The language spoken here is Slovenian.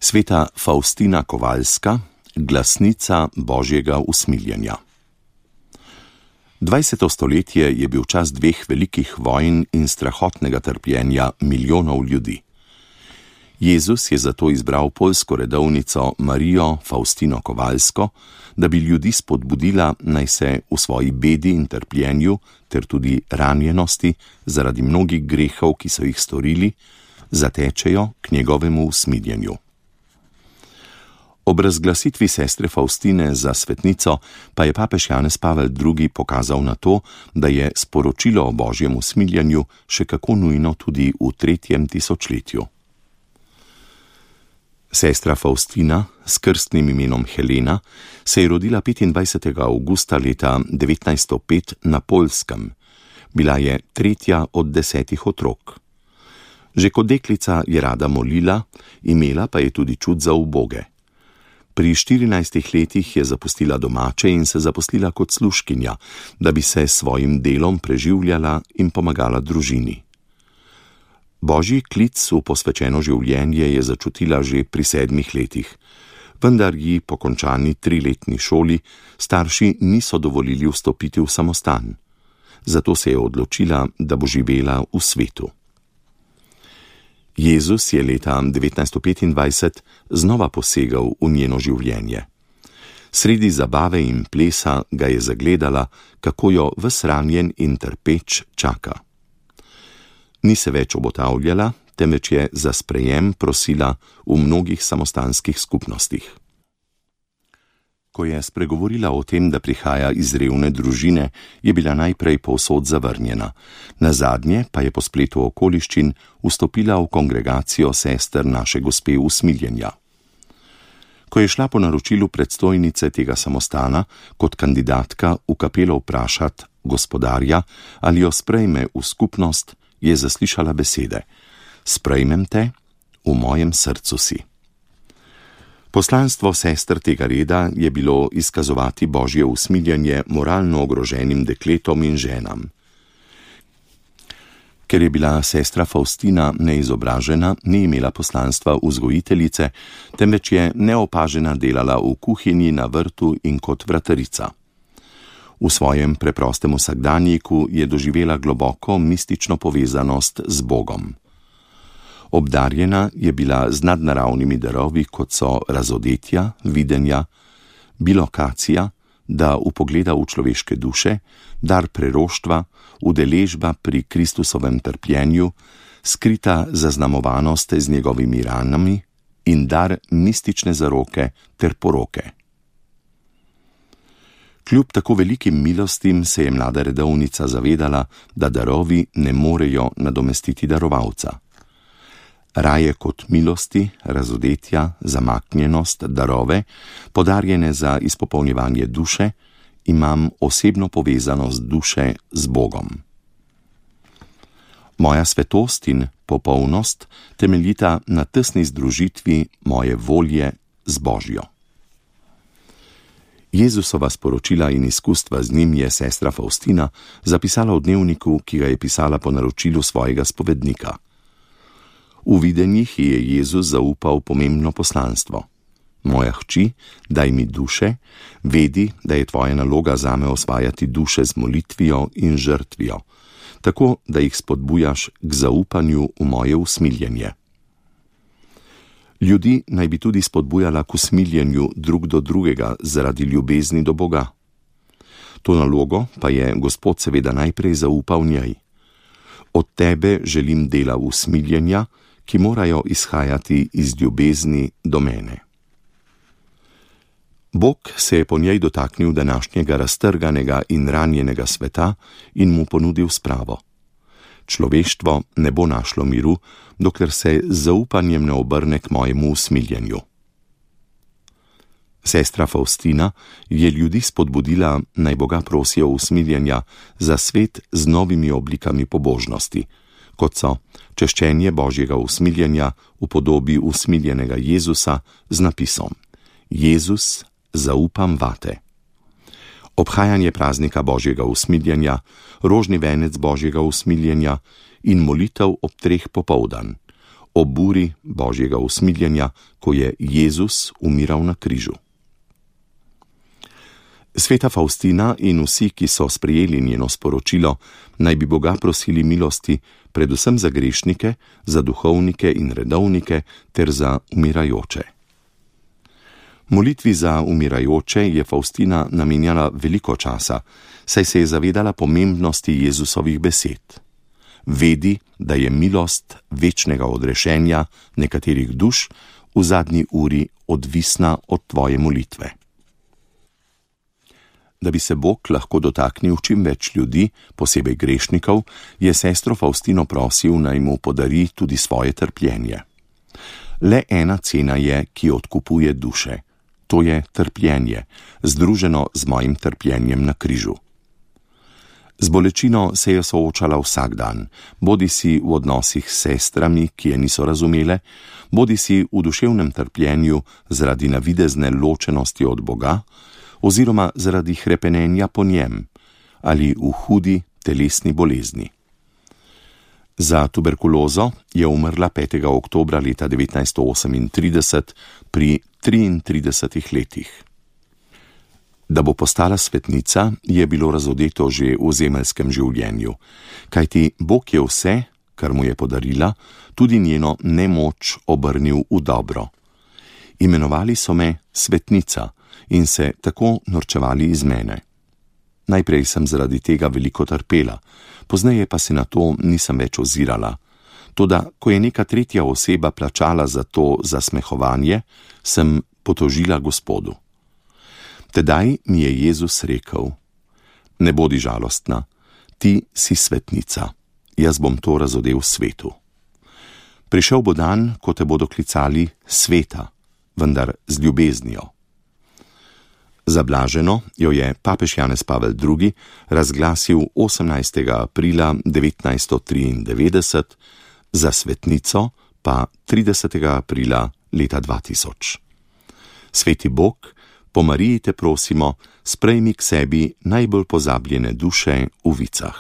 Sveta Faustina Kovalska, glasnica Božjega usmiljenja. 20. stoletje je bil čas dveh velikih vojn in strahotnega trpljenja milijonov ljudi. Jezus je zato izbral poljsko redovnico Marijo Faustino Kovalsko, da bi ljudi spodbudila, naj se v svoji bedi in trpljenju ter tudi ranjenosti zaradi mnogih grehov, ki so jih storili, zatečejo k njegovemu usmiljenju. Ob razglasitvi sestre Faustine za svetnico pa je papež Janez Pavel II. Pokazal na to, da je sporočilo o Božjem usmiljenju še kako nujno tudi v 3. tisočletju. Sestra Faustina s krstnim imenom Helena se je rodila 25. avgusta leta 1905 na Poljskem. Bila je 3. od 10 otrok. Že kot deklica je rada molila, imela pa je tudi čut za uboge. Pri 14 letih je zapustila domače in se zaposlila kot služkinja, da bi se s svojim delom preživljala in pomagala družini. Božji klic v posvečeno življenje je začutila že pri 7 letih, vendar ji po končani 3-letni šoli starši niso dovolili vstopiti v samostan. Zato se je odločila, da bo živela v svetu. Jezus je leta 1925 znova posegal v njeno življenje. Sredi zabave in plesa ga je zagledala, kako jo ves ranjen in trpeč čaka. Ni se več obotavljala, temveč je za sprejem prosila v mnogih samostanskih skupnostih. Ko je spregovorila o tem, da prihaja iz revne družine, je bila najprej povsod zavrnjena. Nazadnje pa je po spletu okoliščin vstopila v kongregacijo sester naše Gospe usmiljenja. Ko je šla po naročilu predstojnice tega samostana kot kandidatka v kapelo vprašat gospodarja, ali jo sprejme v skupnost, je zaslišala besede: "Sprejmem te, v mojem srcu si." Poslanstvo sester tega reda je bilo izkazovati Božje usmiljenje moralno ogroženim dekletom in ženam. Ker je bila sestra Faustina neizobražena, ni imela poslanstva vzgojiteljice, temveč je neopažena delala v kuhinji, na vrtu in kot vratarica. V svojem preprostem vsakdanjiku je doživela globoko mistično povezanost z Bogom. Obdarjena je bila z nadnaravnimi darovi, kot so razodetja, videnja, bilokacija, da vpogleda v človeške duše, dar preroštva, udeležba pri Kristusovem trpljenju, skrita zaznamovanost z njegovimi ranami in dar mistične zaroke ter poroke. Kljub tako velikim milostim se je mlada redovnica zavedala, da darovi ne morejo nadomestiti darovalca. Raje kot milosti, razodetja, zamaknjenost, darove, podarjene za izpopolnjevanje duše, imam osebno povezanost duše z Bogom. Moja svetost in popolnost temeljita na tesni združitvi moje volje z Božjo. Jezusova sporočila in izkustva z njim je sestra Faustina zapisala v dnevniku, ki ga je pisala po naročilu svojega spovednika. V videnjih je Jezus zaupal pomembno poslanstvo. Moja hči, daj mi duše, vedi, da je tvoja naloga zame osvajati duše z molitvijo in žrtvijo, tako da jih spodbujaš k zaupanju v moje usmiljenje. Ljudi naj bi tudi spodbujala k usmiljenju drug do drugega zaradi ljubezni do Boga. To nalogo pa je Gospod seveda najprej zaupal njej. Od tebe želim dela usmiljenja, ki morajo izhajati iz ljubezni do mene. Bog se je po njej dotaknil današnjega raztrganega in ranjenega sveta in mu ponudil spravo. Človeštvo ne bo našlo miru, dokler se z zaupanjem ne obrne k mojemu usmiljenju. Sestra Faustina je ljudi spodbudila, naj Boga prosijo usmiljenja za svet z novimi oblikami pobožnosti, kot so češčenje Božjega usmiljenja v podobi usmiljenega Jezusa z napisom: Jezus, zaupam vate. Obhajanje praznika Božjega usmiljenja, rožni venec Božjega usmiljenja in molitev ob 3 popoldan, o buri Božjega usmiljenja, ko je Jezus umiral na križu. Sveta Faustina in vsi, ki so sprejeli njeno sporočilo, naj bi Boga prosili milosti, predvsem za grešnike, za duhovnike in redovnike ter za umirajoče. Molitvi za umirajoče je Faustina namenjala veliko časa, saj se je zavedala pomembnosti Jezusovih besed. Vedi, da je milost večnega odrešenja nekaterih duš v zadnji uri odvisna od tvoje molitve. Da bi se Bog lahko dotaknil čim več ljudi, posebej grešnikov, je sestro Faustino prosil, naj mu podari tudi svoje trpljenje. Le ena cena je, ki odkupuje duše. To je trpljenje, združeno z mojim trpljenjem na križu. Z bolečino se je soočala vsak dan, bodisi v odnosih s sestrami, ki je niso razumele, bodisi v duševnem trpljenju zaradi navidezne ločenosti od Boga, oziroma zaradi hrepenenja po njem ali v hudi telesni bolezni. Za tuberkulozo je umrla 5. oktobra leta 1938 pri 33 letih. Da bo postala svetnica, je bilo razodeto že v zemeljskem življenju, kajti Bog je vse, kar mu je podarila, tudi njeno nemoč obrnil v dobro. Imenovali so me svetnica in se tako norčevali iz mene. Najprej sem zaradi tega veliko trpela, pozneje pa se na to nisem več ozirala. Toda, ko je neka tretja oseba plačala za to zasmehovanje, sem potožila Gospodu. Tedaj mi je Jezus rekel: ne bodi žalostna, ti si svetnica, jaz bom to razodel svetu. Prišel bo dan, ko te bodo klicali sveta, vendar z ljubeznijo. Za blaženo jo je papež Janez Pavel II. Razglasil 18. aprila 1993, za svetnico pa 30. aprila leta 2000. Sveti Bog, po Mariji te prosimo, sprejmi k sebi najbolj pozabljene duše v vicah.